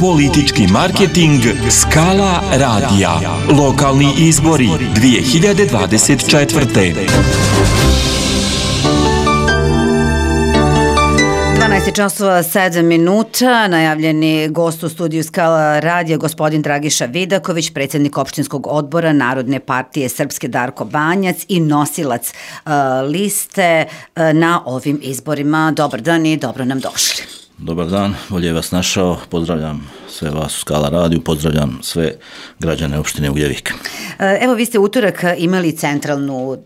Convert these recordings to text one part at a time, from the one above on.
Politički marketing Skala radija. Lokalni izbori 2024. 12:07. Najavljeni gost u studiju Skala radija gospodin Dragiša Vidaković, predsjednik opštinskog odbora Narodne partije Srpske Darko Banjac i nosilac liste na ovim izborima. Dobar dan i dobro nam došli. Dobar dan, bolje vas našao, pozdravljam sve vas u Skala radiju, pozdravljam sve građane opštine Ugljevik. Evo, vi ste utorak imali centralnu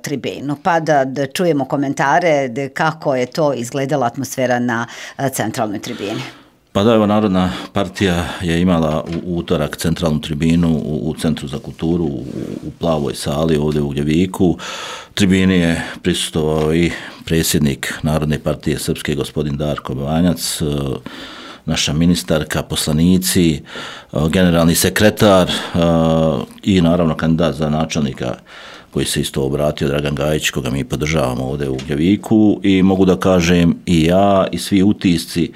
tribinu, pa da čujemo komentare kako je to izgledala atmosfera na centralnoj tribini. Pa da, evo, Narodna partija je imala u utorak centralnu tribinu u Centru za kulturu u Plavoj sali ovdje u Ugljeviku. Tribini je prisustvovao i predsjednik Narodne partije Srpske gospodin Darko Banjac, naša ministarka, poslanici, generalni sekretar i naravno kandidat za načelnika koji se isto obratio, Dragan Gajić, koga mi podržavamo ovdje u Ugljeviku, i mogu da kažem i ja i svi utisci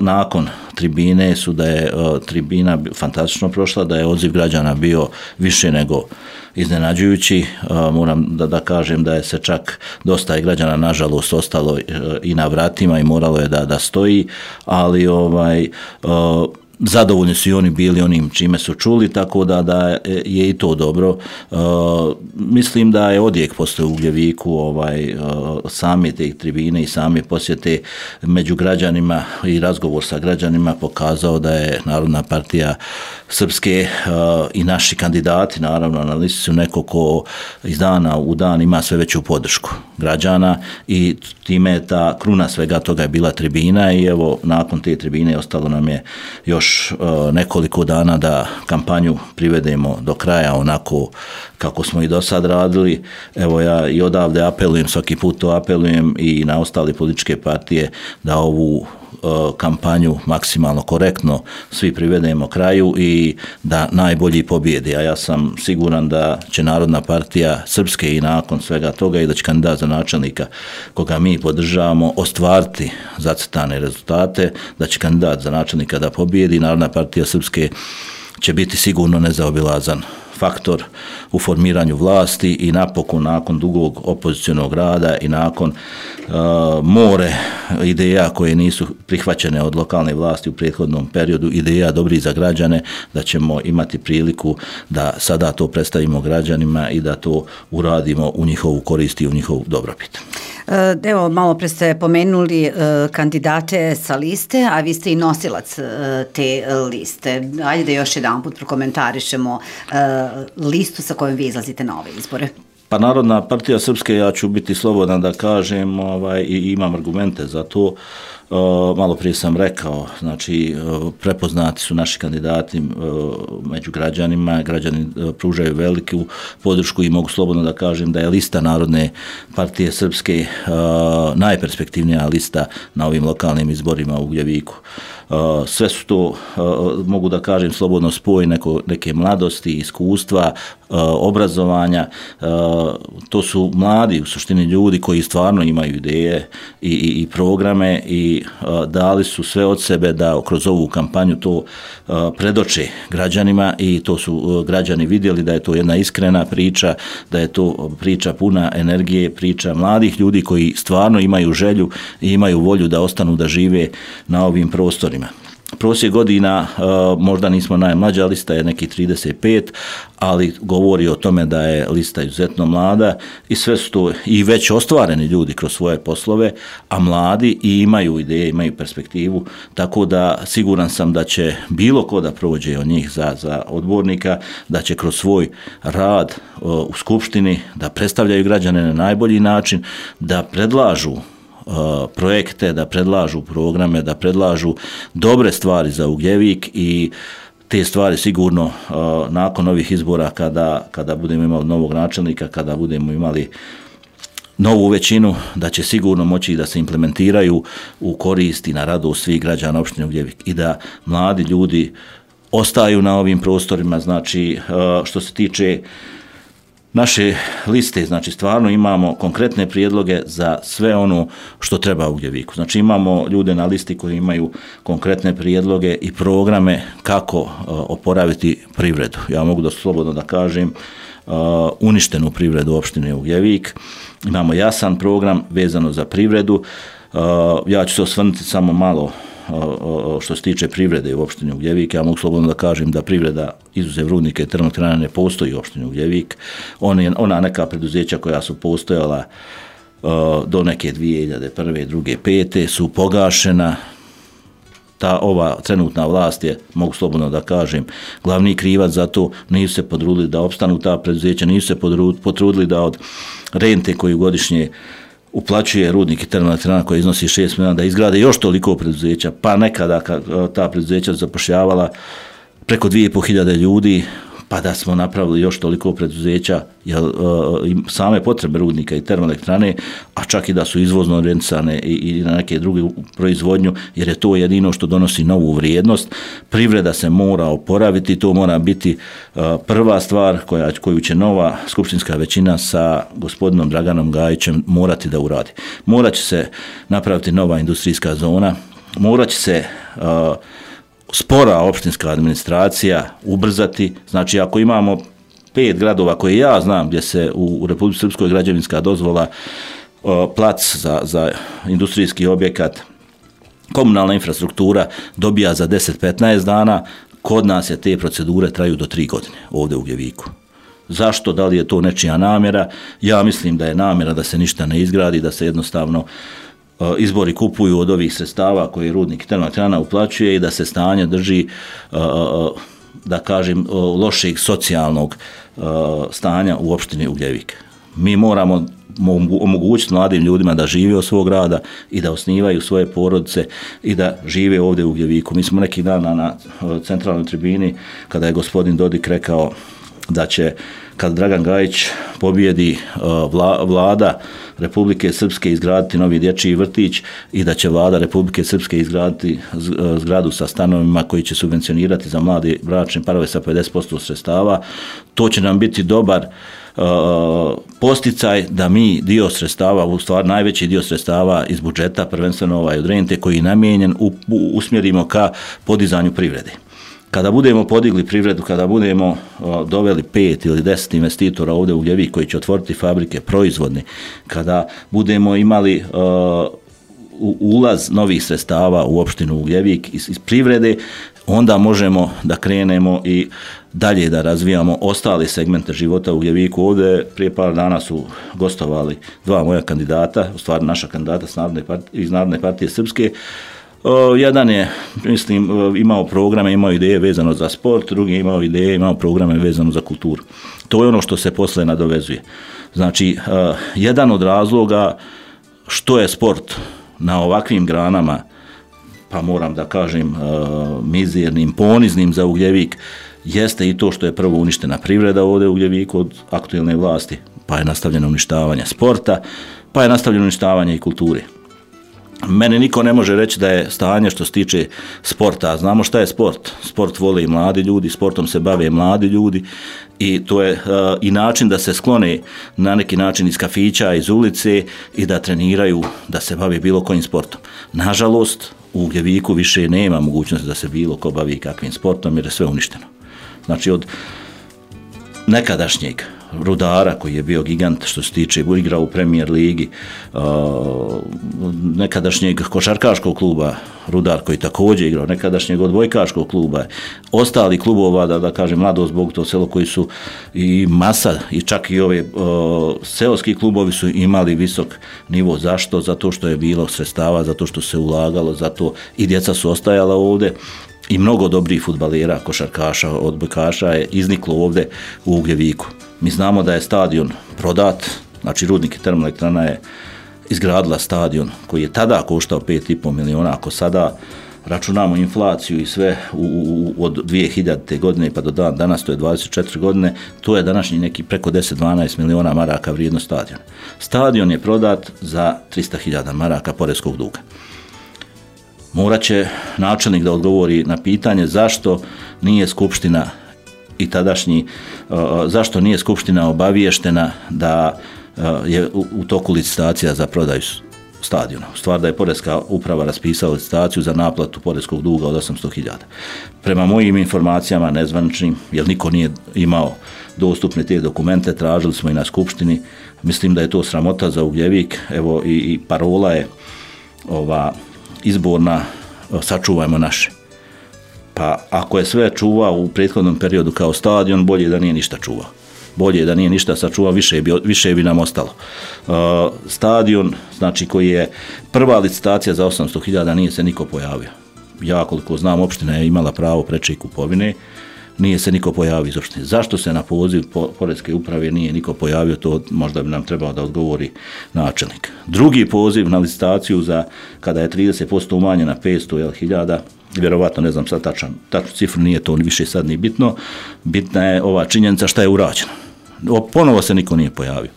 nakon tribine su da je tribina fantastično prošla, da je odziv građana bio više nego iznenađujući. Moram da kažem da je se čak dosta građana nažalost ostalo i na vratima i moralo je da stoji, ali zadovoljni su i oni bili onim čime su čuli, tako da je i to dobro. Mislim da je odjek postoje u Ugljeviku same te tribine i same posjete među građanima i razgovor sa građanima pokazao da je Narodna partija Srpske i naši kandidati naravno na listi su neko ko iz dana u dan ima sve veću podršku građana i time je ta kruna svega toga je bila tribina i evo nakon te tribine ostalo nam je još nekoliko dana da kampanju privedemo do kraja onako kako smo i do sad radili. Evo ja i odavde apelujem, svaki put to apelujem i na ostale političke partije da ovu kampanju maksimalno korektno svi privedemo kraju i da najbolji pobjedi, a ja sam siguran da će Narodna partija Srpske i nakon svega toga i da će kandidat za načelnika koga mi podržavamo ostvariti zacrtane rezultate, da će kandidat za načelnika da pobjedi. Narodna partija Srpske će biti sigurno nezaobilazan faktor u formiranju vlasti i napokon nakon dugog opozicionog rada i nakon more ideja koje nisu prihvaćene od lokalne vlasti u prethodnom periodu, ideja dobrih za građane, da ćemo imati priliku da sada to predstavimo građanima i da to uradimo u njihovu korist i u njihovu dobrobit. Evo, malo pre ste pomenuli kandidate sa liste, a vi ste i nosilac te liste. Ajde da još jedan put prokomentarišemo listu sa kojom vi izlazite na ove izbore. Pa Narodna partija Srpske, ja ću biti slobodan da kažem i imam argumente za to. Malo prije sam rekao, znači prepoznati su naši kandidati među građanima, građani pružaju veliku podršku i mogu slobodno da kažem da je lista Narodne partije Srpske najperspektivnija lista na ovim lokalnim izborima u Ugljeviku. Sve su to, mogu da kažem slobodno, spoj neke mladosti, iskustva, obrazovanja. To su mladi u suštini ljudi koji stvarno imaju ideje i programe i dali su sve od sebe da kroz ovu kampanju to predoče građanima i to su građani vidjeli da je to jedna iskrena priča, da je to priča puna energije, priča mladih ljudi koji stvarno imaju želju i imaju volju da ostanu da žive na ovim prostorima. Prosjek godina, možda nismo najmlađa lista, je neki 35, ali govori o tome da je lista izuzetno mlada i sve su to i već ostvareni ljudi kroz svoje poslove, a mladi i imaju ideje, imaju perspektivu, tako da siguran sam da će bilo ko da prođe od njih za odbornika, da će kroz svoj rad u skupštini da predstavljaju građane na najbolji način, da predlažu projekte, da predlažu programe, da predlažu dobre stvari za Ugljevik i te stvari sigurno nakon ovih izbora kada budemo imali novog načelnika, kada budemo imali novu većinu, da će sigurno moći da se implementiraju u korist i na radost svih građana opštine Ugljevik i da mladi ljudi ostaju na ovim prostorima. Znači, što se tiče naše liste, znači stvarno imamo konkretne prijedloge za sve ono što treba u Ugljeviku. Znači imamo ljude na listi koji imaju konkretne prijedloge i programe kako oporaviti privredu. Ja mogu slobodno da kažem uništenu privredu opštine Ugljevik. Imamo jasan program vezano za privredu. Ja ću se osvrnuti samo malo što se tiče privrede u opštini Ugljevik. Ja mogu slobodno da kažem da privreda izuzev rudnika i termoelektrana ne postoji u opštini Ugljevik. Ona neka preduzeća koja su postojala do neke 2001. 2. 5. su pogašena. Ova trenutna vlast je, mogu slobodno da kažem, glavni krivac za to. Nisu se potrudili da opstanu ta preduzeća, nisu se potrudili da od rente koju godišnje uplaćuje rudnik i termoelektrana koja iznosi 6 milijuna, da izgrade još toliko preduzeća, pa nekada ta preduzeća zapošljavala preko 2.500 ljudi, pa da smo napravili još toliko preduzeća, same potrebe rudnika i termoelektrane, a čak i da su izvozno orijentisane i na neke druge proizvodnju, jer je to jedino što donosi novu vrijednost. Privreda se mora oporaviti, to mora biti prva stvar koju će nova skupštinska većina sa gospodinom Draganom Gajićem morati da uradi. Morat će se napraviti nova industrijska zona, morat će se spora opštinska administracija ubrzati. Znači ako imamo 5 gradova koje ja znam gdje se u Republici Srpskoj građevinska dozvola, plac za industrijski objekat, komunalna infrastruktura dobija za 10-15 dana, kod nas je te procedure traju do 3 godine ovdje u Ugljeviku. Zašto? Da li je to nečija namjera? Ja mislim da je namjera da se ništa ne izgradi, da se jednostavno izbori kupuju od ovih sredstava koje rudnik i termoelektrana uplaćuje i da se stanje drži, da kažem, lošeg socijalnog stanja u opštini Ugljevik. Mi moramo omogućiti mladim ljudima da žive od svog rada i da osnivaju svoje porodice i da žive ovdje u Ugljeviku. Mi smo neki dan na centralnoj tribini, kada je gospodin Dodik rekao da će, kad Dragan Gajić pobjedi, vlada Republike Srpske izgraditi novi dječji vrtić i da će vlada Republike Srpske izgraditi zgradu sa stanovima koji će subvencionirati za mlade bračne parove sa 50% sredstava. To će nam biti dobar posticaj da mi dio sredstava, u stvari najveći dio sredstava iz budžeta, prvenstveno od rente koji je namijenjen, usmjerimo ka podizanju privrede. Kada budemo podigli privredu, kada budemo doveli 5 ili 10 investitora ovdje u Ugljeviku koji će otvoriti fabrike proizvodne, kada budemo imali ulaz novih sredstava u opštinu Ugljevik iz privrede, onda možemo da krenemo i dalje da razvijamo ostale segmente života u Ugljeviku. Ovdje prije par dana su gostovali 2 moja kandidata, u stvari naša kandidata iz Narodne partije Srpske. Jedan je, mislim, imao programe, imao ideje vezano za sport, drugi je imao ideje, imao programe vezano za kulturu. To je ono što se posle nadovezuje. Znači, jedan od razloga što je sport na ovakvim granama, pa moram da kažem mizernim, poniznim za Ugljevik, jeste i to što je prvo uništena privreda ovdje u Ugljeviku od aktuelne vlasti, pa je nastavljeno uništavanje sporta, pa je nastavljeno uništavanje i kulture. Mene niko ne može reći da je stanje što se tiče sporta. Znamo šta je sport. Sport vole i mladi ljudi, sportom se bave mladi ljudi i to je i način da se sklone na neki način iz kafića, iz ulice i da treniraju, da se bave bilo kojim sportom. Nažalost, u Ugljeviku više nema mogućnosti da se bilo ko bavi kakvim sportom jer je sve uništeno. Znači od nekadašnjeg Rudara koji je bio gigant što se tiče igrao u Premier ligi, nekadašnjeg košarkaškog kluba Rudar koji također igrao, nekadašnjeg odbojkaškog kluba, ostali klubova, da kažem Mladost, Bog to selo koji su i masa i čak i ove seoski klubovi su imali visok nivo. Zašto? Zato što je bilo sredstava, zato što se ulagalo, zato i djeca su ostajala ovdje. I mnogo dobrih fudbalera, košarkaša, odbojkaša je izniklo ovdje u Ugljeviku. Mi znamo da je stadion prodat, znači Rudnik i termoelektrana je izgradila stadion koji je tada koštao 5,5 miliona, ako sada računamo inflaciju i sve od 2000. godine pa do danas, to je 24 godine, to je današnji neki preko 10-12 miliona maraka vrijednost stadiona. Stadion je prodat za 300.000 maraka poreskog duga. Morat će načelnik da odgovori na pitanje zašto nije skupština i tadašnji, zašto nije Skupština obaviještena da je u toku licitacija za prodaju stadiona. U stvari da je Poreska uprava raspisala licitaciju za naplatu poreskog duga od 800.000. Prema mojim informacijama nezvaničnim, jer niko nije imao dostupne te dokumente, tražili smo i na Skupštini. Mislim da je to sramota za Ugljevik. Evo i parola je izborna, sačuvajmo naše. Pa ako je sve čuvao u prethodnom periodu kao stadion, bolje da nije ništa čuvao. Bolje da nije ništa sačuvao, više bi nam ostalo. Stadion, znači koji je prva licitacija za 800.000, nije se niko pojavio. Ja koliko znam, opština je imala pravo preče kupovine, nije se niko pojavio iz opštine. Zašto se na poziv Poreske uprave nije niko pojavio, to možda bi nam trebao da odgovori načelnik. Drugi poziv na licitaciju za kada je 30% umanjena 500.000, vjerovatno ne znam sad tačnu cifru, nije to više sad ni bitno, bitna je ova činjenica šta je urađeno. Ponovo se niko nije pojavio.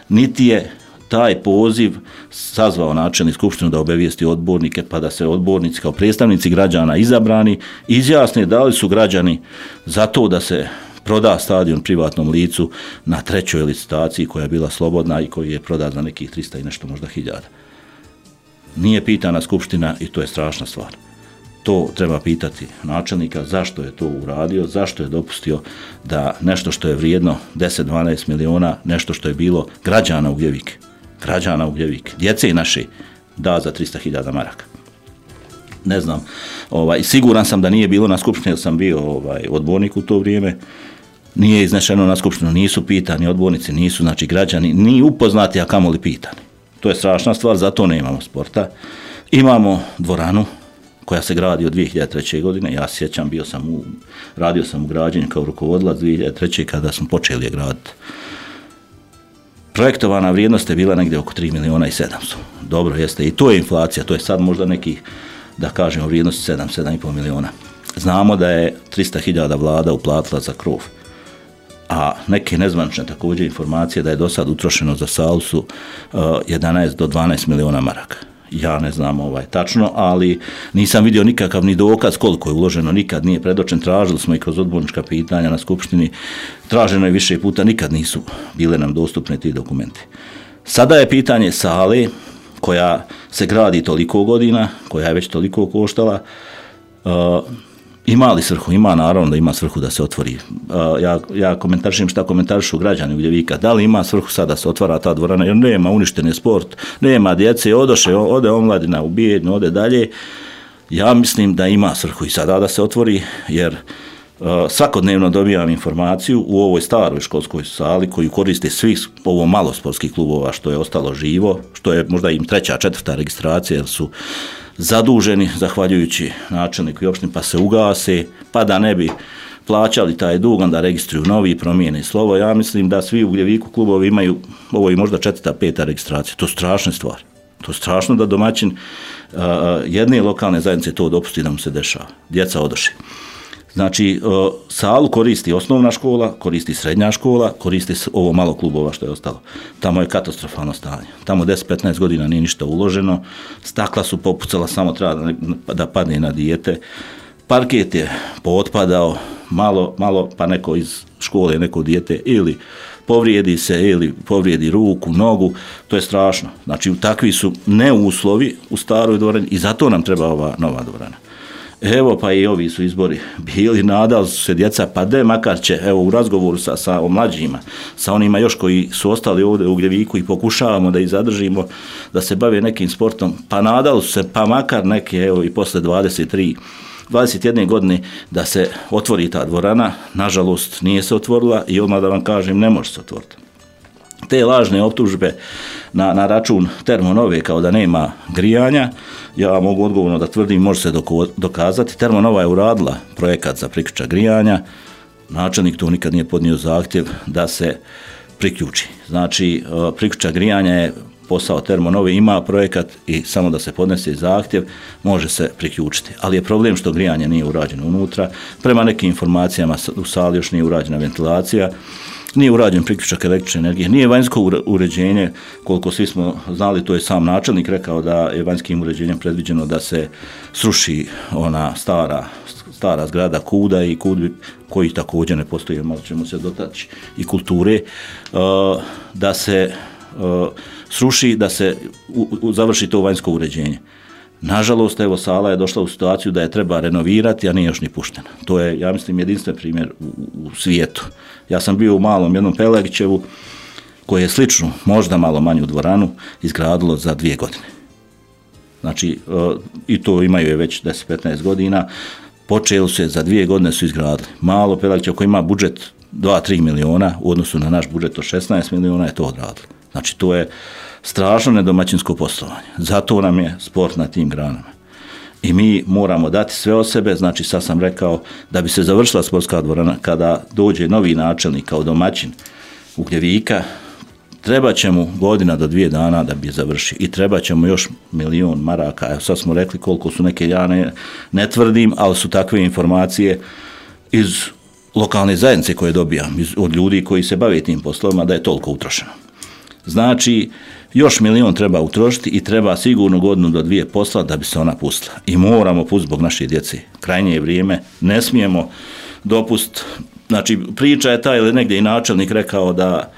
Niti je taj poziv sazvao načelnik skupštinu da obavijesti odbornike, pa da se odbornici kao predstavnici građana izabrani izjasne da li su građani za to da se proda stadion privatnom licu na trećoj licitaciji koja je bila slobodna i koji je prodat za nekih 300 i nešto možda hiljada. Nije pitana skupština i to je strašna stvar. To treba pitati načelnika zašto je to uradio, zašto je dopustio da nešto što je vrijedno 10-12 miliona, nešto što je bilo građana Ugljevik, djece naše, da za 300.000 maraka. Ne znam, siguran sam da nije bilo na skupštini, jer sam bio odbornik u to vrijeme, nije iznešeno na skupštinu, nisu pitani odbornici, nisu znači građani, ni upoznati, a kamoli pitani. To je strašna stvar, zato nemamo sporta. Imamo dvoranu koja se gradi od 2003. godine, ja sjećam, radio sam u građenju kao rukovodilac 2003. kada smo počeli je graditi. Projektovana vrijednost je bila negdje oko 3.700.000. Dobro jeste, i to je inflacija, to je sad možda nekih, da kažemo, vrijednost 7,5 miliona. Znamo da je 300.000 vlada uplatila za krov, a neke nezvanične također informacije da je do sad utrošeno za salu su 11 do 12 miliona maraka. Ja ne znam tačno, ali nisam vidio nikakav ni dokaz koliko je uloženo, nikad nije predočen, tražili smo i kroz odbornička pitanja na skupštini, traženo je više puta, nikad nisu bile nam dostupne ti dokumenti. Sada je pitanje sale koja se gradi toliko godina, koja je već toliko koštala, ima li svrhu? Ima, naravno da ima svrhu da se otvori. Ja komentarišem šta komentarišu građani Ugljevika. Da li ima svrhu sad da se otvara ta dvorana? Jer nema, uništen je sport, nema djece, ode omladina u Bijeljnu, ode dalje. Ja mislim da ima svrhu i sada da se otvori, jer svakodnevno dobijam informaciju u ovoj staroj školskoj sali koju koriste svih ovo malo sportskih klubova što je ostalo živo, što je možda im 3., 4. registracija, jer su zaduženi zahvaljujući načelniku i opštini, pa se ugase, pa da ne bi plaćali taj dug, onda registruju novi i promijene slovo. Ja mislim da svi u Ugljeviku klubovi imaju, ovo je možda 4., 5. registracija. To je strašna stvar. To je strašno da domaćin jedne lokalne zajednice to dopusti da mu se dešava. Djeca odoše. Znači, salu koristi osnovna škola, koristi srednja škola, koristi ovo malo klubova što je ostalo. Tamo je katastrofalno stanje. Tamo 10-15 godina nije ništa uloženo, stakla su popucala, samo treba da padne na dijete. Parket je pootpadao, malo pa neko iz škole, neko dijete ili povrijedi se ili povrijedi ruku, nogu, to je strašno. Znači, takvi su neuslovi u staroj dvorani i zato nam treba ova nova dvorana. Evo pa i ovi su izbori bili, nadali su se djeca, pa makar će, evo u razgovoru sa mlađima, sa onima još koji su ostali ovdje u Ugljeviku i pokušavamo da ih zadržimo, da se bave nekim sportom, pa nadali su se, pa makar neke, evo i posle 21 godine da se otvori ta dvorana, nažalost nije se otvorila i odmah da vam kažem ne može se otvoriti. Te lažne optužbe na račun Termonove kao da nema grijanja, ja mogu odgovorno da tvrdim, može se dokazati. Termonova je uradila projekat za priključak grijanja, načelnik tu nikad nije podnio zahtjev da se priključi. Znači, priključak grijanja je posao Termonove, ima projekat i samo da se podnese zahtjev može se priključiti. Ali je problem što grijanje nije urađeno unutra, prema nekim informacijama u sali još nije urađena ventilacija, nije urađen priključak električne energije, nije vanjsko uređenje, koliko svi smo znali, to je sam načelnik rekao da je vanjskim uređenjem predviđeno da se sruši ona stara zgrada KUD-a i KUD koji također ne postoji, malo ćemo se dotaći i kulture, da se sruši, da se završi to vanjsko uređenje. Nažalost, evo, sala je došla u situaciju da je treba renovirati, a nije još ni puštena. To je, ja mislim, jedinstven primjer u svijetu. Ja sam bio u malom jednom Pelegićevu, koje je sličnu, možda malo manju dvoranu, izgradilo za 2 godine. Znači, i to imaju je već 10-15 godina, počeli su je, za 2 godine su izgradili. Malo Pelegićevo koji ima budžet 2-3 miliona, u odnosu na naš budžet od 16 miliona je to odradilo. Znači, to je strašno nedomaćinsko poslovanje. Zato nam je sport na tim granama. I mi moramo dati sve od sebe, znači sad sam rekao da bi se završila sportska dvorana, kada dođe novi načelnik kao domaćin Ugljevika, treba će mu 1 do 2 dana da bi je završio i treba će mu još 1.000.000 maraka. Evo sad smo rekli koliko su neke, ja ne tvrdim, ali su takve informacije iz lokalne zajednice koje dobijam, od ljudi koji se bave tim poslovima, da je toliko utrošeno. Znači, još 1.000.000 treba utrošiti i treba sigurno 1 do 2 posla da bi se ona pustila. I moramo pustiti zbog naše djece. Krajnje je vrijeme, ne smijemo dopustiti. Znači, priča je ta, ili negdje i načelnik rekao da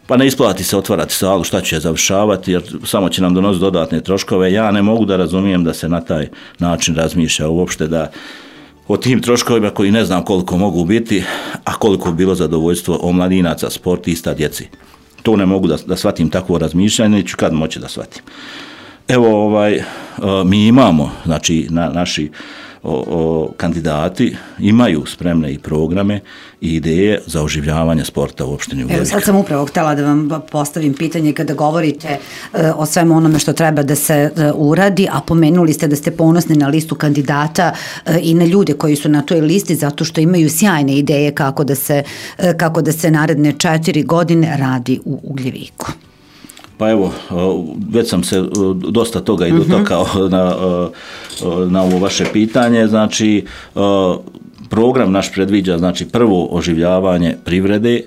pa ne isplati se otvarati salu, šta će je završavati, jer samo će nam donositi dodatne troškove. Ja ne mogu da razumijem da se na taj način razmišlja uopšte, da o tim troškovima koji ne znam koliko mogu biti, a koliko bi bilo zadovoljstvo omladinaca, sportista, djeci. To ne mogu da shvatim takvo razmišljanje, neću kad moći da shvatim. Evo, mi imamo, znači, naši kandidati imaju spremne i programe i ideje za oživljavanje sporta u opštini Ugljevik. Evo, sad sam upravo htjela da vam postavim pitanje kada govorite o svemu onome što treba da se uradi, a pomenuli ste da ste ponosni na listu kandidata i na ljude koji su na toj listi zato što imaju sjajne ideje kako da se naredne 4 godine radi u Ugljeviku. Pa evo, već sam se dosta toga i dotakao na ovo vaše pitanje. Znači, program naš predviđa, znači, prvo oživljavanje privrede.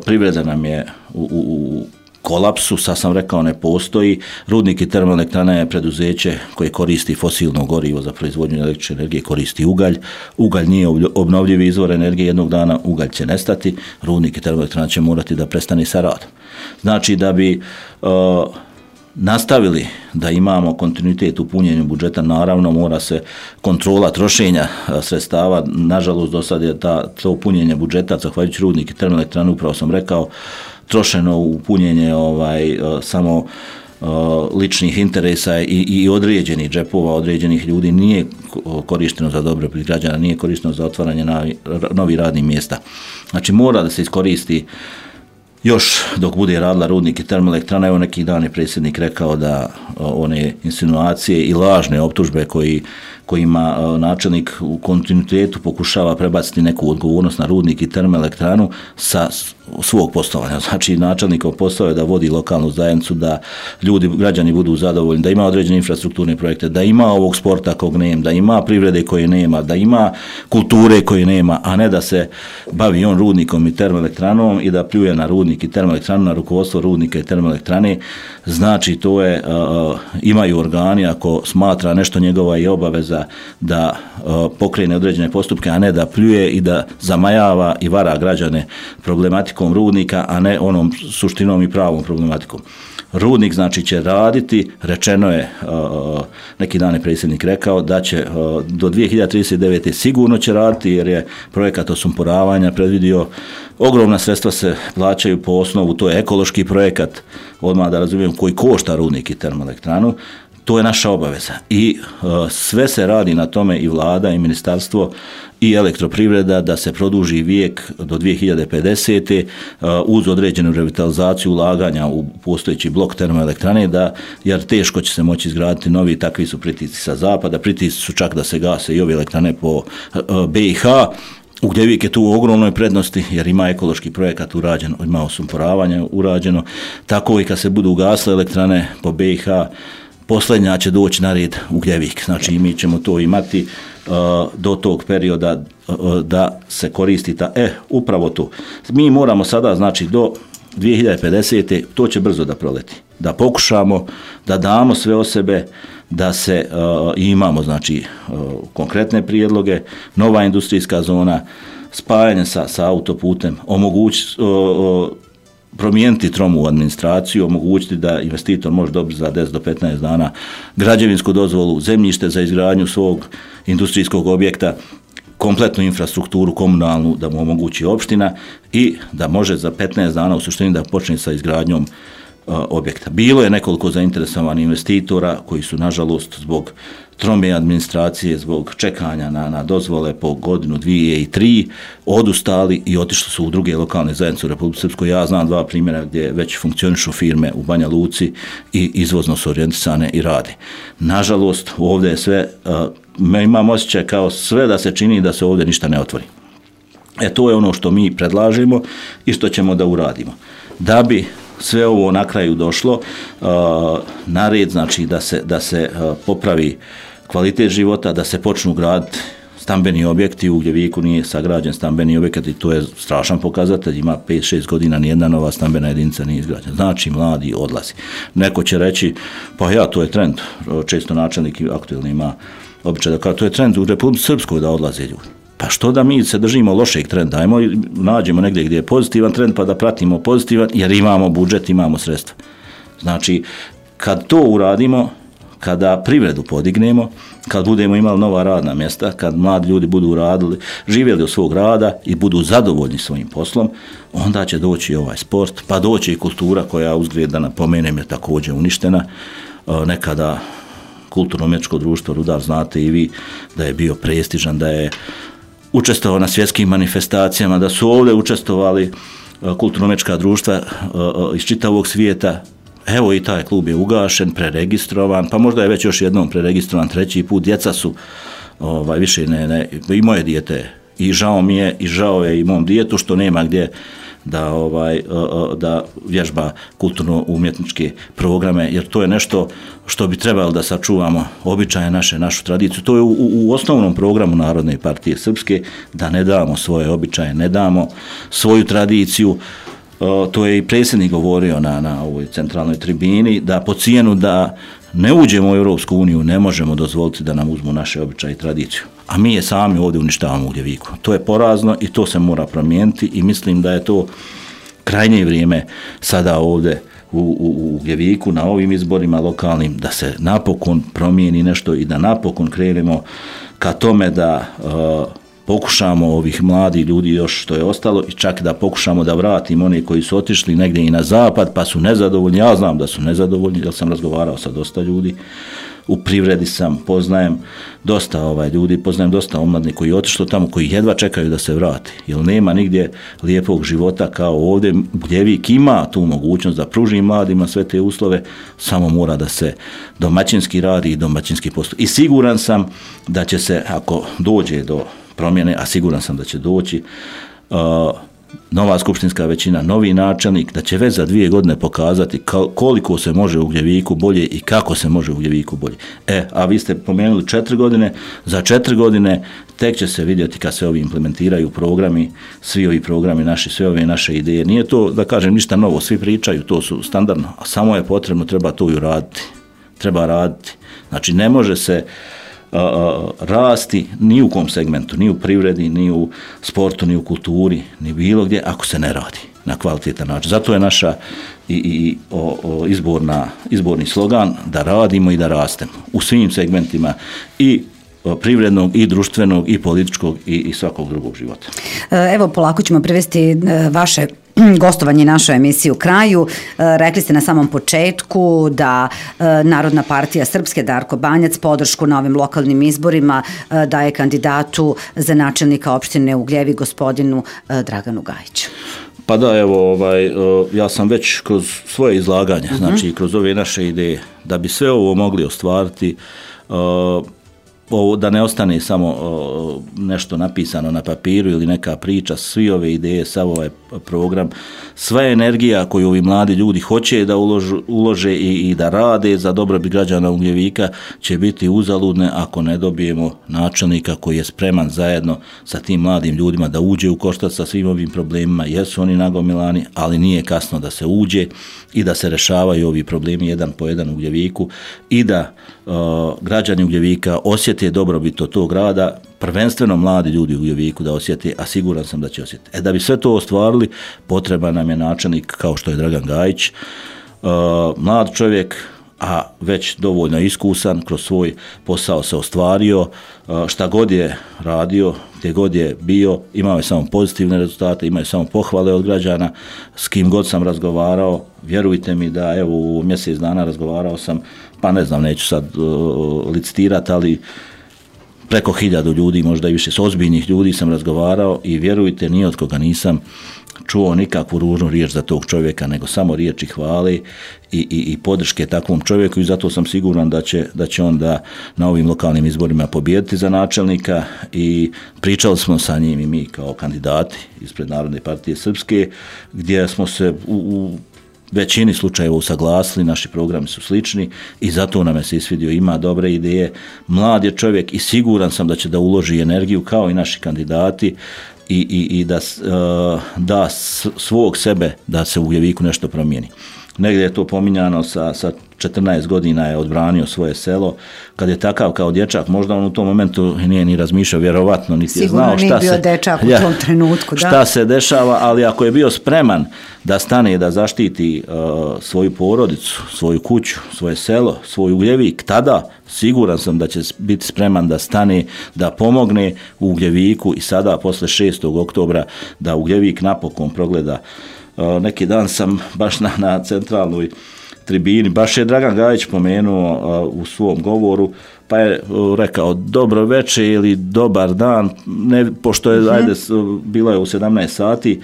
Privreda nam je u kolapsu, sad sam rekao, ne postoji. Rudnik i termoelektrana je preduzeće koje koristi fosilno gorivo za proizvodnju električne energije, koristi ugalj. Ugalj nije obnovljivi izvor energije, jednog dana ugalj će nestati, rudnik i termoelektrana će morati da prestane sa radom. Znači, da bi nastavili da imamo kontinuitet u punjenju budžeta, naravno mora se kontrola trošenja sredstava. Nažalost, do sad je to punjenje budžeta, zahvaljujući rudnik i termoelektranu, upravo sam rekao, trošeno u punjenje samo ličnih interesa i određenih džepova, određenih ljudi, nije korišteno za dobrobit građana, nije korišteno za otvaranje novih radnih mjesta. Znači, mora da se iskoristi još dok bude radila rudnik i termoelektrana. Evo, neki dan je predsjednik rekao da one insinuacije i lažne optužbe kojima načelnik u kontinuitetu pokušava prebaciti neku odgovornost na rudnik i termoelektranu sa svog poslovanja. Znači, načelnikov posao je da vodi lokalnu zajednicu, da ljudi, građani budu zadovoljni, da ima određene infrastrukturne projekte, da ima ovog sporta kog nema, da ima privrede koje nema, da ima kulture koje nema, a ne da se bavi on rudnikom i termoelektranom i da pljuje na rudnik i termoelektranu, na rukovodstvo rudnika i termoelektrane. Znači, to je, imaju organi, ako smatra nešto njegova i obaveza da pokrene određene postupke, a ne da pljuje i da zamajava i vara građane problematikom rudnika, a ne onom suštinom i pravom problematikom. Rudnik, znači, će raditi, rečeno je, neki dan je predsjednik rekao da će do 2039. sigurno će raditi, jer je projekat osumporavanja predvidio, ogromna sredstva se plaćaju po osnovu, to je ekološki projekat, odmah da razumijem, koji košta rudnik i termoelektranu. To je naša obaveza i sve se radi na tome, i vlada i ministarstvo i elektroprivreda, da se produži vijek do 2050. Uz određenu revitalizaciju ulaganja u postojeći blok termoelektrane, jer teško će se moći izgraditi novi, takvi su pritisci sa zapada, pritisci su čak da se gase i ove elektrane po BiH. Ugljevik je tu u ogromnoj prednosti jer ima ekološki projekat urađen, ima osumporavanje urađeno, tako i kad se budu ugasle elektrane po BiH, posljednja će doći na red Ugljevik. Znači, mi ćemo to imati do tog perioda da se koristi upravo to. Mi moramo sada, znači, do 2050. to će brzo da proleti. Da pokušamo da damo sve o sebe, da se imamo znači konkretne prijedloge, nova industrijska zona, spajanje sa autoputem, promijeniti tromu administraciju, omogućiti da investitor može dobiti za 10 do 15 dana građevinsku dozvolu, zemljište za izgradnju svog industrijskog objekta, kompletnu infrastrukturu komunalnu da mu omogući opština i da može za 15 dana u suštini da počne sa izgradnjom objekta. Bilo je nekoliko zainteresovanih investitora koji su nažalost zbog trome administracije, zbog čekanja na dozvole po godinu, 2 i 3 odustali i otišli su u druge lokalne zajednice u Republici Srpskoj. Ja znam 2 primjera gdje već funkcionišu firme u Banja Luci i izvozno su orijentisane i rade. Nažalost, ovdje je sve, imam osjećaj kao sve da se čini da se ovdje ništa ne otvori. To je ono što mi predlažemo i što ćemo da uradimo. Da bi sve ovo na kraju došlo na red, znači da se popravi kvalitet života, da se počnu graditi stambeni objekti. U Ugljeviku nije sagrađen stambeni objekat i to je strašan pokazatelj, ima 5-6 godina nijedna nova stambena jedinica nije izgrađena. Znači mladi odlazi. Neko će reći, pa to je trend, često načelnik aktuelni ima običaj da kao to je trend u Republici Srpskoj da odlaze ljudi. Pa što da mi se držimo lošeg trenda, ajmo nađemo negdje gdje je pozitivan trend pa da pratimo pozitivan jer imamo budžet, imamo sredstva. Znači, kad to uradimo, kada privredu podignemo, kad budemo imali nova radna mjesta, kad mladi ljudi budu radili, živjeli od svog rada i budu zadovoljni svojim poslom, onda će doći ovaj sport, pa doći i kultura koja uzgled da napomenem je također uništena. Nekada kulturno-umjetničko društvo Rudar, znate i vi da je bio prestižan, da je učestvovao na svjetskim manifestacijama, da su ovdje učestvovali kulturno-umjetnička društva iz čitavog svijeta. Evo i taj klub je ugašen, preregistrovan, pa možda je već još jednom preregistrovan 3. put. Djeca su više ne, i moje dijete i žao mi je i žao je i mom djetetu što nema gdje da vježba kulturno-umjetničke programe, jer to je nešto što bi trebalo da sačuvamo običaje našu tradiciju. To je u osnovnom programu Narodne partije Srpske, da ne damo svoje običaje, ne damo svoju tradiciju. To je i predsjednik govorio na ovoj centralnoj tribini, da po cijenu da ne uđemo u Europsku uniju ne možemo dozvoliti da nam uzmu naše običaje i tradiciju. A mi je sami ovdje uništavamo u Ugljeviku. To je porazno i to se mora promijeniti i mislim da je to krajnje vrijeme sada ovdje u Ugljeviku na ovim izborima lokalnim da se napokon promijeni nešto i da napokon krenemo ka tome da pokušamo ovih mladih ljudi još što je ostalo i čak da pokušamo da vratimo one koji su otišli negdje i na zapad pa su nezadovoljni. Ja znam da su nezadovoljni jer sam razgovarao sa dosta ljudi. U privredi poznajem dosta ljudi, poznajem dosta omladnih koji je otišlo tamo, koji jedva čekaju da se vrati. Jer nema nigdje lijepog života kao ovdje. Uljevik ima tu mogućnost da pruži mladima sve te uslove, samo mora da se domaćinski radi i domaćinski postup. I siguran sam da će se, ako dođe do promjene, a siguran sam da će doći, nova skupštinska većina, novi načelnik, da će već za 2 godine pokazati koliko se može u Ugljeviku bolje i kako se može u Ugljeviku bolje. A vi ste pomenuli 4 godine, za 4 godine tek će se vidjeti kad se ovi implementiraju programi, svi ovi programi naši, sve ove naše ideje. Nije to, da kažem, ništa novo, svi pričaju, to su standardno, a samo je potrebno, treba to i uraditi. Treba raditi. Znači, ne može se rasti ni u kom segmentu, ni u privredi, ni u sportu, ni u kulturi, ni bilo gdje, ako se ne radi na kvalitetan način. Zato je naša izborni slogan da radimo i da rastemo u svim segmentima i privrednog i društvenog i političkog i svakog drugog života. Evo, polako ćemo privesti vaše gostovanje našoj emisiji u kraju. Rekli ste na samom početku da Narodna partija Srpske Darko Banjac podršku na ovim lokalnim izborima daje kandidatu za načelnika opštine Ugljevik gospodinu Draganu Gajiću. Pa da, evo, ja sam već kroz svoje izlaganje, znači kroz ove naše ideje, da bi sve ovo mogli ostvariti, da ne ostane samo nešto napisano na papiru ili neka priča, svi ove ideje, sav ovaj program, sva energija koju ovi mladi ljudi hoće da ulože i da rade za dobrobit građana Ugljevika će biti uzaludne ako ne dobijemo načelnika koji je spreman zajedno sa tim mladim ljudima da uđe u koštac sa svim ovim problemima. Jesu oni nagomilani, ali nije kasno da se uđe i da se rešavaju ovi problemi jedan po jedan u Ugljeviku i da građani Ugljevika osjete dobrobit od tog grada, prvenstveno mladi ljudi u Ugljeviku da osjete, a siguran sam da će osjetiti. Da bi sve to ostvarili, potreban nam je načelnik kao što je Dragan Gajić, mlad čovjek, a već dovoljno iskusan, kroz svoj posao se ostvario, šta god je radio, gdje god je bio, imao je samo pozitivne rezultate, imao je samo pohvale od građana, s kim god sam razgovarao, vjerujte mi da evo u mjesec dana razgovarao sam, pa ne znam, neću sad licitirati, ali preko 1000 ljudi, možda i više, s ozbiljnih ljudi sam razgovarao i vjerujte, ni od koga nisam čuo nikakvu ružnu riječ za tog čovjeka, nego samo riječi hvale i podrške takvom čovjeku i zato sam siguran da će on da na ovim lokalnim izborima pobijediti za načelnika i pričali smo sa njim i mi kao kandidati ispred Narodne partije Srpske, gdje smo se u većini slučajeva usaglasili, naši programi su slični i zato nam je se isvidio, ima dobre ideje, mlad je čovjek i siguran sam da će da uloži energiju kao i naši kandidati i da svog sebe da se u Ugljeviku nešto promijeni. Negdje je to pominjano sa 14 godina je odbranio svoje selo, kad je takav kao dječak, možda on u tom momentu nije ni razmišljao, vjerovatno niti je znao šta se dešava, ali ako je bio spreman da stane i da zaštiti svoju porodicu, svoju kuću, svoje selo, svoj Ugljevik, tada siguran sam da će biti spreman da stane, da pomogne u Ugljeviku i sada posle 6. oktobra da Ugljevik napokon progleda. Neki dan sam baš na centralnoj tribini, baš je Dragan Gajić pomenuo u svom govoru, pa je rekao dobro večer ili dobar dan, pošto je bilo je u 17 sati,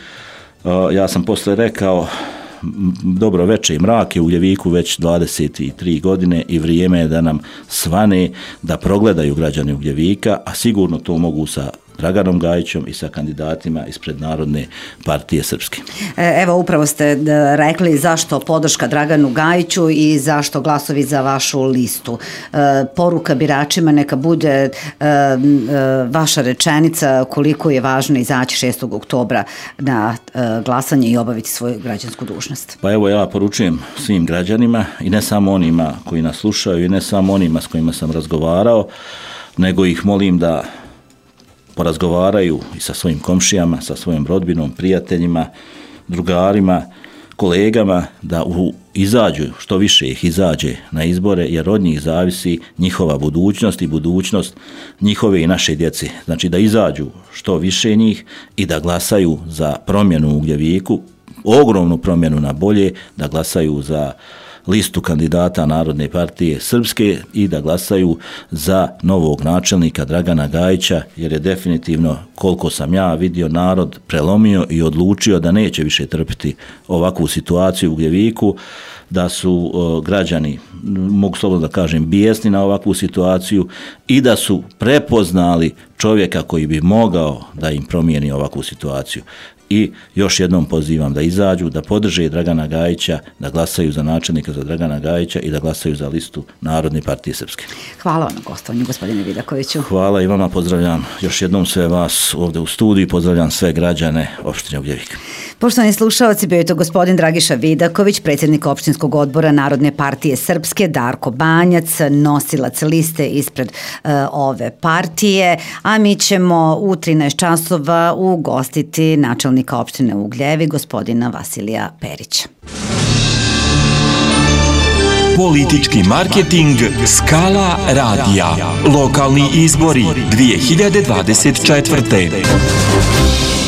ja sam posle rekao dobro večer i mrak je u Ugljeviku već 23 godine i vrijeme je da nam svane, da progledaju građani Ugljevika, a sigurno to mogu sa Draganom Gajićom i sa kandidatima ispred Narodne partije Srpske. Evo, upravo ste rekli zašto podrška Draganu Gajiću i zašto glasovi za vašu listu. Poruka biračima neka bude vaša rečenica koliko je važno izaći 6. oktobra na glasanje i obaviti svoju građansku dužnost. Pa evo, ja poručujem svim građanima i ne samo onima koji nas slušaju i ne samo onima s kojima sam razgovarao, nego ih molim da porazgovaraju i sa svojim komšijama, sa svojim rodbinom, prijateljima, drugarima, kolegama, da izađu, što više ih izađe na izbore, jer od njih zavisi njihova budućnost i budućnost njihove i naše djece. Znači da izađu što više njih i da glasaju za promjenu u Ugljeviku, ogromnu promjenu na bolje, da glasaju za listu kandidata Narodne partije Srpske i da glasaju za novog načelnika Dragana Gajića, jer je definitivno, koliko sam ja vidio, narod prelomio i odlučio da neće više trpiti ovakvu situaciju u Ugljeviku, da su građani, mogu slobodno da kažem, bijesni na ovakvu situaciju i da su prepoznali čovjeka koji bi mogao da im promijeni ovakvu situaciju. I još jednom pozivam da izađu, da podrže Dragana Gajića, da glasaju za načelnika za Dragana Gajića i da glasaju za listu Narodne partije Srpske. Hvala vam na gostovanju, gospodine Vidakoviću. Hvala i vama, pozdravljam još jednom sve vas ovdje u studiju, pozdravljam sve građane opštine Ugljevik. Poštovani slušalci, bio je to gospodin Dragiša Vidaković, predsjednik opštinskog odbora Narodne partije Srpske, Darko Banjac, nosilac liste ispred ove partije, a mi ćemo u 13 časova ugostiti načelnika opštine Ugljevik, gospodina Vasilija Perića. Politički marketing Skala radija. Lokalni izbori 2024.